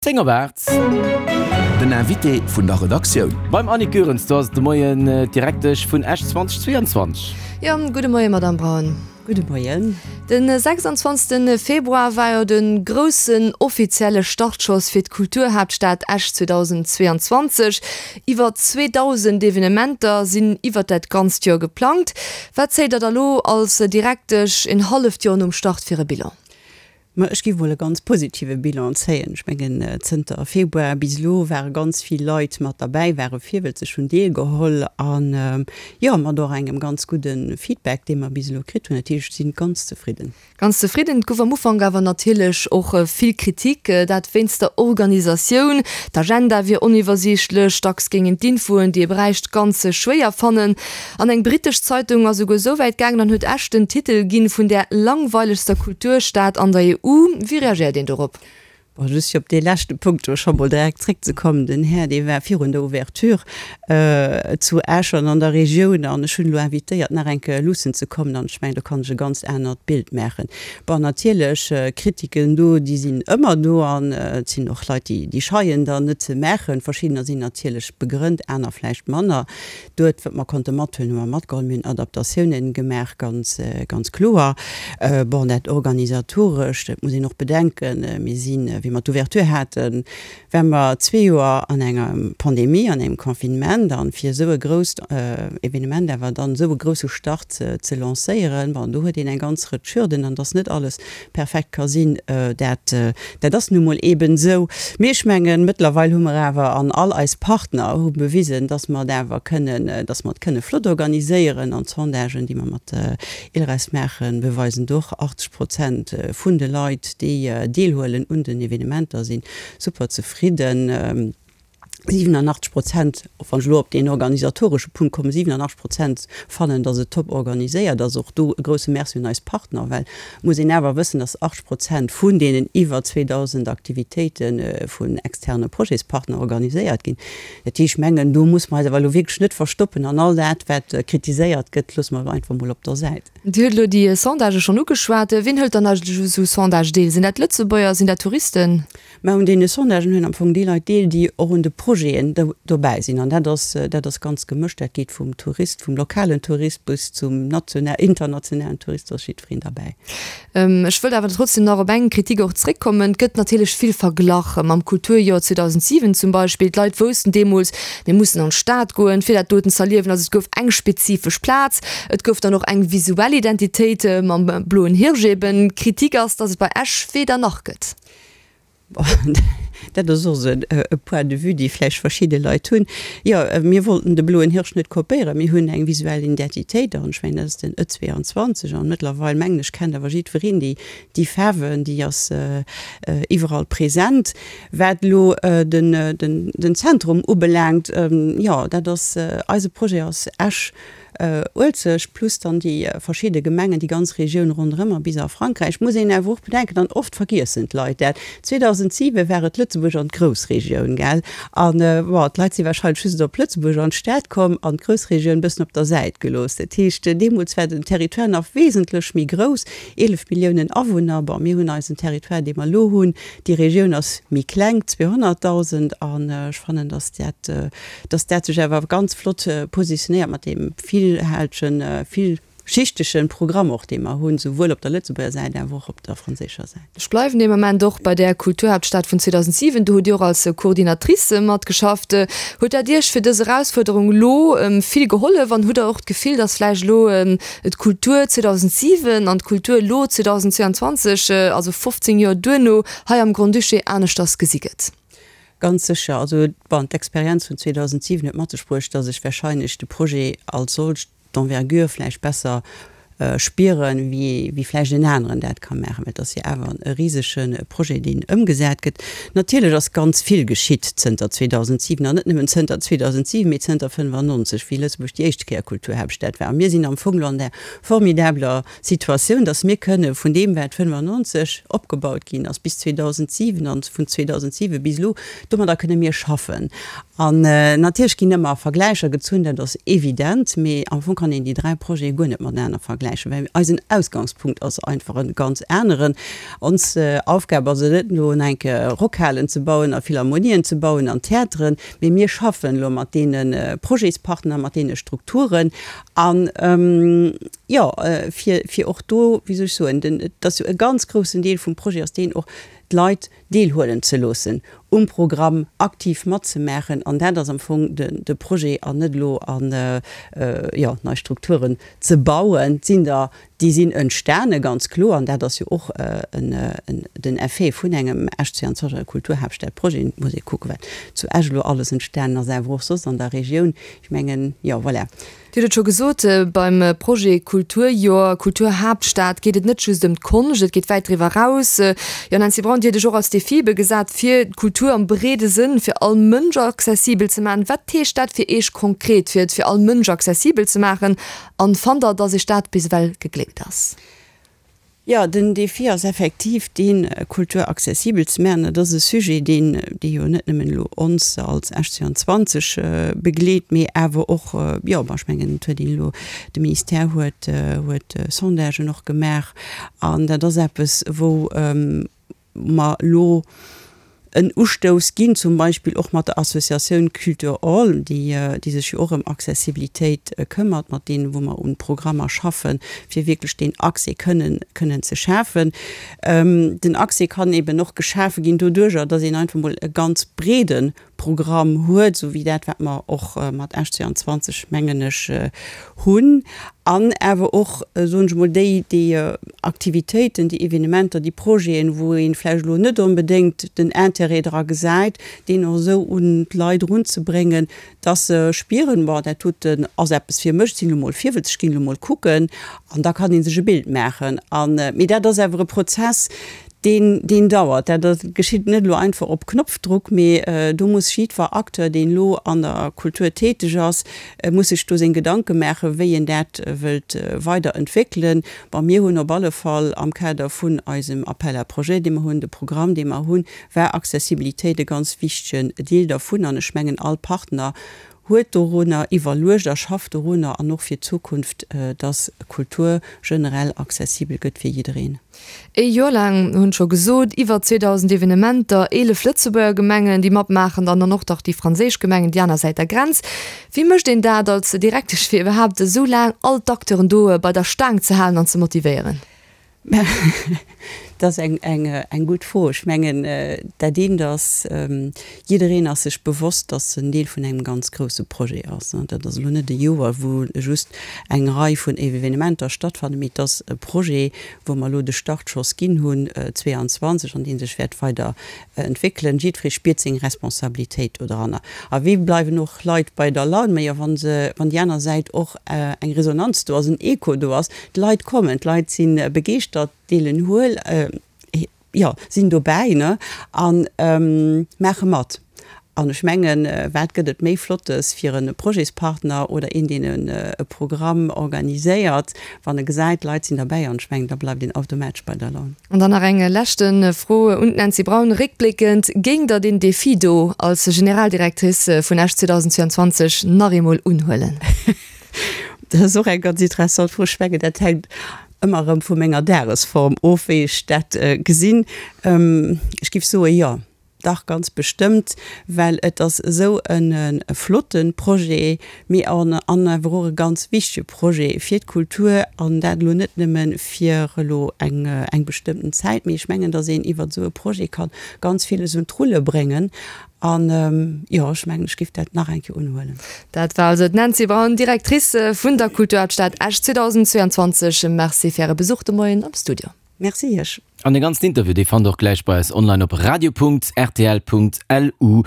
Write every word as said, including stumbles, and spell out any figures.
Zéng op aacht. Den Invité vun der Redaktioun. Beim Annick Goerens, do ass et de Moien d'Direktesch vun Esch zweitausendzweiundzwanzeg. Jo, gudde Moien, Madamm Braun. Gudde Moien. De sechsundzwanzegste Februar war jo de groussen offizielle Startschoss fir d'Kulturhaaptstad Esch zweitausendzweiundzwanzeg. Iwwer zweedausend Evenementer sinn iwwer dat ganzt Joer geplangt. Wat zéit Der da lo als Direktesch en halleft Joer nom Start fir e Bilan? Ma ech géif mol e ganz positive Bilan zéien. Ech mengen, zënter Februar bis elo ware ganz vill Leit mat derbäi, ware virwëlzeg, hunn deelgeholl an, jo, mat och engem ganz gudde Feedback, dee mer bis elo kritt hunn. Dat heescht, ech si ganz zefridden. Ganz zefridden. Et gouf am Ufank awer natierlech och vill Kritik, dat wéinst der Organisatioun. D'Agenda wier oniwwersiichtlech, dacks géingen d'Infoen, déi ee bräicht, ganz schwéier fannen. An eng brittesch Zeitung ass esouguer esou wäit gaangen an huet Esch den Titel ginn vun där langweilegster Kulturstad an der E U. Wéi reagéiert een dorop? Bon, just fir op dee leschte Punkt do scho mol direkt zréckzekommen, Den Här, dee war virun der Ouverture zu Esch an an der Regioun an ech hunn elo invitéiert, nach eng Kéier luussen ze kommen an ech mengen, do kann ech e ganz anert Bild maachen. Bon, natierlech, Kritiken do, déi sinn ëmmer do an et sinn och Leit, déi, déi scheien dann net ze maachen. Verschiddener sinn natierlech begrënnt, aner vläicht manner. Duert, wat mer konnte mathuelen, hu mer matgeholl. Mir hunn Adaptatiounen gemaach, ganz, ganz kloer. Bon, dat Organisatorescht, dat muss een och bedenken, mir sinn, wéi mer d'Ouverture haten, ware mer zwee Joer an enger Pandemie, an engem Confinement, an fir esou e grousst Evenement awer dann esou e grousse Start ze lancéieren, bon, do huet een eng ganz Rëtsch Hürden, an dass net alles perfekt ka sinn, dat, dat ass nu mol eeben esou. Mee ech mengen, mëttlerweil hu mer awer, an all eis Partner hu bewisen, dass mer et awer kënnen, dass mer et kënne flott organiséieren. An d'Sondagen, déi mer mat ILReS maachen, beweisen et och, achtzeg Prozent vun de Leit, déi deelhuelen un den Evenementer, si super zefridden. siwenunachtzeg Prozent, och wann ech elo op deen organisatoresche Punkt kommen, siwenunachtzeg Prozent fannen, dass et top organiséiert ass. Och do e grouse Merci un eis Partner, well et muss een awer wëssen, dass achtzeg Prozent vun deenen iwwer zweedausend Aktivitéite vun externe Projetspartner organiséiert ginn. Dat heescht, ech mengen, do muss mer eis awer elo wierklech net verstoppen an all dat, wat kritiséiert gëtt, loosse mer elo einfach mol op der Säit. Dir hutt elo déi Sondagë schonn ugeschwat. Wien hëlt dann eigentlech u sou Sondage deel? Sinn dat Lëtzebuerger, sinn dat Touristen? Mä un deene Sondagen huelen am Fong déi Leit deel, déi och un de Projeten dobäi sinn. An dat ass, dat ass ganz gemëscht. Dat geet vum Tourist, vum lokalen Tourist bis zum national, internationalen Tourist, do ass jiddwereen derbäi. Ech wëllt awer trotzdem nach op eng Kritik och zréckkommen. Et gëtt natierlech vill verglach mam Kulturjoer zweedausentsiwen zum Beispill. D'Leit woussten deemools, mir mussen an d'Stad goen, fir dat doten z'erliewen. Also et gouf eng spezifesch Plaz. Et gouf dann och eng visuell Identitéit mam bloen Hirsch eben. D'Kritik ass, datt et bei Esch weder nach gëtt. Dat ass och esou e Point de vue, dee vläicht verschidde Leit hunn. Jo, mir wollten de Bloen Hirsch net kopéieren. Mir hunn eng visuell Identitéit an ech mengen, dat ass den E zweiundzwanzeg an mëttlerweil, mengen ech, kennt awer jiddwereen déi, déi Faarwen, déi ass iwwerall present. Wat elo den, den, den Zentrum ubelaangt, jo, dat ass, eise Projet ass Esch Uelzecht plus dann déi verschidde Gemengen, déi ganz Regioun ronderëm a bis a Frankräich. Muss een awer och bedenken, an oft vergiessen d'Leit dat, zweedausentsiwe war et Lëtzebuerg an d'Groussregioun, gell? An, bon, d'Leit si wahrscheinlech just op Lëtzebuerg an d'Stad komm an d'Groussregioun e bëssen op der Säit gelooss. Dat heescht, deemools war den Territoire nach wesentlech méi grouss, eelef Milliounen Awunner. Bon, mir hunn eisen Territoire, dee mer elo hunn, déi Regioun ass méi kleng, zweehonnertdausend, an ech fannen, datt dat, datt dat sech awer ganz flott positionéiert mat deem villhältegen, villschichtegen Programm och, dee mer hunn, souwuel op der Lëtzebuerger Säit awer och op der franséischer Säit. Ech bleiwen dee Moment och bei där Kulturhaaptstad vun zweedausentsiwen. Do hutt Dir och als Coordinatrice matgeschafft. Huet dat Iech fir dës Erausfuerderung elo vill gehollef an hutt Der och d'Gefill, datt vläicht elo d'Kultur zweedausentsiwen an d'Kultur elo zweedausendzweiundzwanzeg, also fofzéng Joer duerno, hei am Grand-Duché aneschters gesi gëtt? Ganz sécher. Also, bon, d'Experienz vun zweedausentsiwen huet mat sech bruecht, dass ech wahrscheinlech de Projet als solcht, d'Envergure vläicht besser spieren, wéi, wéi vläicht en aneren dat ka maachen, well et ass jo awer e risege Projet, deen ëmgesat gëtt. Natierlech ass ganz vill geschitt zënter zweedausentsiwen, an net nëmmen zënter zweedausentsiwen, mee zënter fënnefannonzeg, wéi Lëtzebuerg déi éischte Kéier Kulturhaaptstad war. A mir sinn am Fong elo an där formidabeler Situatioun, dass mir kënne vun deem, wat fënnefannonzeg opgebaut ginn ass, bis zweedausentsiwen an vun zweedausentsiwen bis elo, domadder kënne mir schaffen. An natierlech ginn ëmmer Vergläicher gezunn, dat ass evident, mee am Fong kann een déi dräi Projete guer net matenaner vergläichen. vergläichen, well eisen Ausgangspunkt ass einfach e ganz aneren. Ons Aufgab ass et net, elo enk Rockhalen ze bauen a Philharmonien ze bauen an Theateren, mee mir schaffen elo mat deene Projetspartner, mat deene Strukturen an, jo, fir, fir och do, wéi soll ech soen, den, et ass jo e ganz groussen Deel vum Projet ass deen och, d'Leit deelhuelen ze loossen um Programm, aktiv matzemaachen an dat ass am Fong de, de Projet an net elo an, jo, nei Strukturen ze bauen. Et sinn der, déi sinn entstane ganz kloer an dat ass jo och en, en, den Effet vun engem Esch zweiundzwanzeg Kulturhaaptstadprojet. Et muss ee kucken, wat zu Esch elo alles entstanen ass, awer och soss an der Regioun. Ech mengen, jo, voilà. Dir hutt et scho gesot, beim Projet Kulturjoer, Kulturhaaptstad geet et net just ëm d'Konscht, et geet wäit driwwer eraus. Jo, Nancy Braun, Dir hutt Iech och als Defi ebe gesat, fir d'Kultur am breede Sënn fir all Mënsch accessibel ze maachen. Wat heescht dat fir Iech konkret, fir et fir all Mënsch accessibel ze maachen? An fannt Der, datt Iech dat bis ewell gegléckt ass? Jo, den Defi ass effektiv deen, Kultur accessibel ze maachen. Dat ass e Sujet, deen, dee jo net nëmmen elo ons als Esch zweiundzwanzeg begleet, mee awer och, jo, bon, ech mengen, et huet een elo, de Ministère huet, huet Sondagen och gemaach. An dat ass eppes, wou mer elo en Ustouss ginn, zum Beispill och mat der Associatioun Culture All, déi, déi sech jo och ëm Accessibilitéit këmmert, mat deenen, wou mer un Programmer schaffen, fir wierklech deen Accès kënnen, kënnen ze schafen. Den Accès kann eben och geschafe ginn doduerjer, dass een einfach emol e ganz breede Programm huet, esou wéi dat, wat mer och mat Esch zweiundzwanzeg, mengen ech, hunn, an awer och, soen ech emol, déi, déi Aktivitéiten, déi Evenementer, déi Projeten, wou ee vläicht elo net onbedéngt den Intérêt dra gesäit, deen och esou un d'Leit erunzebréngen, dass se spieren, Bon, dat doten ass eppes fir mech, ech sinn elo mol virwëtzeg, ech ginn elo mol kucken, an da kann ee sech e Bild maachen. An, mee dat ass awer e Prozess, Deen, deen dauert. Dat geschitt net elo einfach op Knopfdruck, mee do muss jiddwer Acteur, deen elo an der Kultur täteg ass, muss sech do seng Gedanke maachen, wéi en dat wëllt weider entwéckelen. Bon, mir hunn op alle Fall am Kader vun eisem Appel à projets, dee mer hunn, de Programm, dee mer hunn, war Accessibilitéit e ganz wichtegen Deel dervun. An ech mengen, all Partner huet dorunner iwwerluecht a schafft dorunner an och fir d'Zukunft, dass Kultur generell accessibel gëtt fir jiddereen. Ee Joer laang, hunn scho gesot, iwwer zweedausend Evenementer, eelef Lëtzebuerger Gemengen, déi matmaachen, dann dann och nach déi franséisch Gemengen déi aner Säit der Grenz. Wéi mécht een dat als Direktesch, fir iwwerhaapt esou laang all d'Acteuren do bei der Staang ze halen an ze motivéieren? Dat ass eng, eng, eng gutt Fro. Ech mengen, dat eent ass, jiddereen ass sech bewosst, dass en Deel vun engem ganz grousse Projet ass. Dat ass elo net e Joer, wou just eng Rei vun Evenementer stattfannen, mee et ass e Projet, wou mer elo de Startschoss ginn hunn zweeanzwanzeg an dee sech wäert weider entwéckelen. Jiddweree spiert seng Responsabilitéit doranner. A wéi bleiwen och Leit bei der Laun? Majo, wa se, wann déi aner Säit och eng Resonanz do ass, en Echo do ass, d'Leit kommen, d'Leit si begeeschtert, deelen huel, jo, sinn dobäi, ne, a maache mat. An ech mengen, wat gëtt et méi Flottes fir e Projetspartner oder een, deen e Programm organiséiert, wann e gesäit, d'Leit sinn derbäi. An ech mengen, da bleift een automatesch bei der Laun. An dann nach eng leschte Fro un d'Nancy Braun, Réckbléckend, géingt Der deen Defi do als Generaldirectrice vun Esch zweedausendzweiundzwanzeg nach eemol unhuelen? Dat ass och eng ganz interessant Fro. Ech mengen, dat hänkt ëmmer erëm vu menger Dagesform of, wéi ech dat gesinn. Ech géif soe jo. Dach, ganz bestëmmt, well et ass esou e flotte Projet, mee an awer och e ganz wichtege Projet fir d'Kultur, an dat elo net nëmme fir elo eng eng bestëmmten Zäit, mee ech mengen, datt een iwwert esou e Projet ka ganz villes un d'Rulle bréngen. An, jo, ech mengen, ech géif dat nach eng Kéier unhuelen. Dat war also d'Nancy Braun, Directrice vun der Kulturhaaptstad Esch zweedausendzweiundzwanzeg. Merci fir Äre Besuch de Moien am Studio. Merci Iech. An de ganzen Interview, dee fannt der och gläich bei eis online op radio Punkt rtl Punkt lu.